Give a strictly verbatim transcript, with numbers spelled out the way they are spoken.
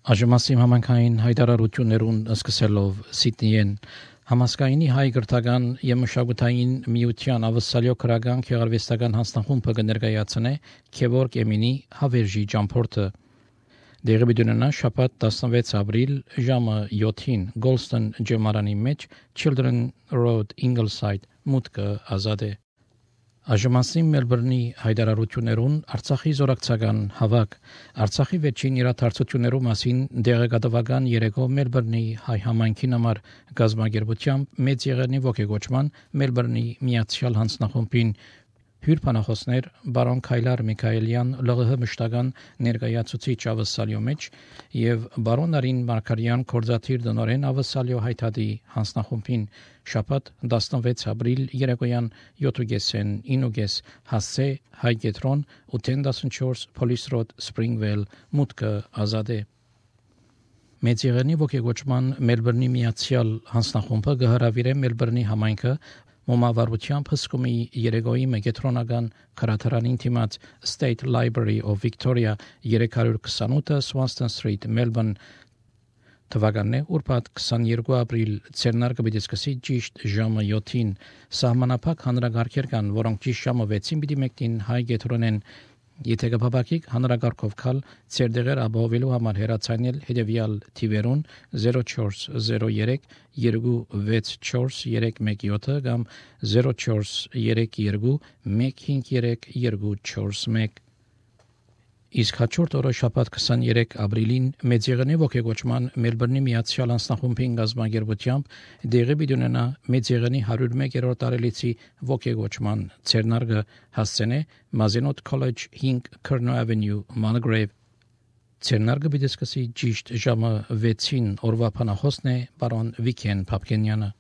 Աժմասիմ համանքային հայտարարություններուն սկսելով Սիդնիեն համասկայնի հայ գրթական եւ մշակութային միության ավսալյո քրական քեղարվեստական հանձնախումբը կներկայացնե Քևորգ Էմինի հավերժի ճամփորդը դեղի բդունենա շաբաթ տասնվեց ապրիլ ժամը յոթին Գոլստոն ջեմարանի մեջ Children Road Ingleside մուտքը ազատ է Աժմասիմ Մելբուրնի հայտարարություններուն Արցախի զորակցական հավաք Արցախի վերջին իրադարձություններու մասին դեղեկատվական երեկո Մելբուրնի հայ համայնքին համար գազագերբությամբ մեծ եղերնի ողջագործման Մելբուրնի միացյալ հանձնախումբին հյուրփանախոսներ բարոն Քայլար Միքայելյան ԼՂՀ մշտական ներկայացուցիչ ավսալյո մեջ եւ բարոն Արին Մարկարյան կորզաթիր դնորեն ավսալյո հայտարարի հանձնախումբին շաբաթ տասնվեց ապրիլ երեկոյան յոթ ինուգես հասե հայգետրոն ութ տասնչորս Police Road Springvale մուտքը ազատ է Մեծ եղերնի ողջագործման Մելբուրնի միացյալ հանձնախումբը գահարավիրե Մելբուրնի համայնքը Մոմավարությամբ հսկումի երեգոյի մեգետրոնական քրաթարանին թիմած State Library of Victoria երեք քսանութ Swanston Street Melbourne թվականն է ուրբաթ քսաներկու ապրիլ ցերնարկը պիտի սկսի ճիշտ ժամը յոթին սահմանափակ հանրագարքեր կան որոնք ճիշտ ժամը վեցին պիտի մեկնին հայ գետրոնեն Եթե կփապակիկ հանրագարքով կալ ցերդեղեր ապահովելու համար հեռացանել հետևյալ թիվերուն zero four zero three two six four three one seven կամ zero four three two one five three two four one Իսկ հաջորդ օրը շաբաթ քսաներեք ապրիլին մեծ եղերնի ողջագործման Մելբուրնի միացյալ հանձնախումբին գազագերբությամբ դեղի բիդունենա մեծ եղերնի one oh one-րդ տարելիցի ողջագործման ցերնարգը հասցնե Mazenot College five Kerno Avenue Mulgrave ցերնարգը պիտի սկսի ճիշտ ժամը վեցին օրվա փանախոսն է բարոն Վիքեն Փապկենյանը